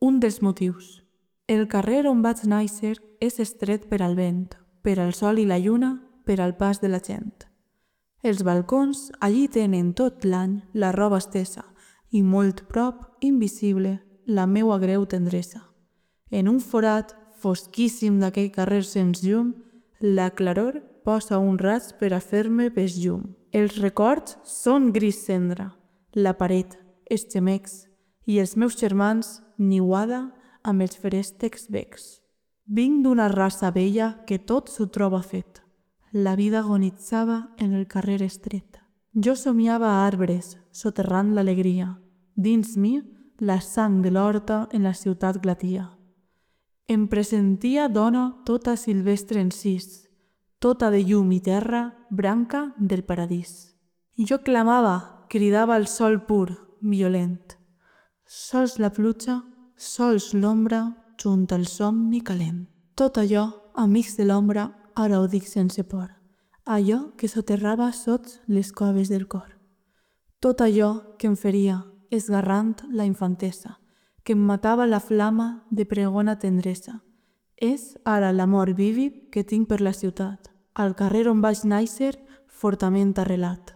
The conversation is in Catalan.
Un dels motius. El carrer on vaig néixer és estret per al vent, per al sol i la lluna, per al pas de la gent. Els balcons allí tenen tot l'any la roba estesa i molt prop, invisible, la meua greu tendresa. En un forat fosquíssim d'aquell carrer sense llum, la claror posa un raig per a fer-me pes llum. Els records són gris cendra, la paret, els gemecs i els meus germans niuada amb els feréstecs becs. Vinc d'una raça vella que tot s'ho troba fet. La vida agonitzava en el carrer estret. Jo somiava arbres, soterrant l'alegria. Dins mi, la sang de l'horta en la ciutat glatia. Em pressentia dona tota silvestre en sis, tota de llum i terra, branca del paradís. Jo clamava, cridava al sol pur, violent. Sols la pluja, sols l'ombra, junt al somni calent. Tot allò, amics de l'ombra, ara ho dic sense por. Allò que soterrava sots les coves del cor. Tot allò que em feria, esgarrant la infantesa, que em matava la flama de pregona tendresa. És ara l'amor vívid que tinc per la ciutat, al carrer on vaig néixer, fortament arrelat.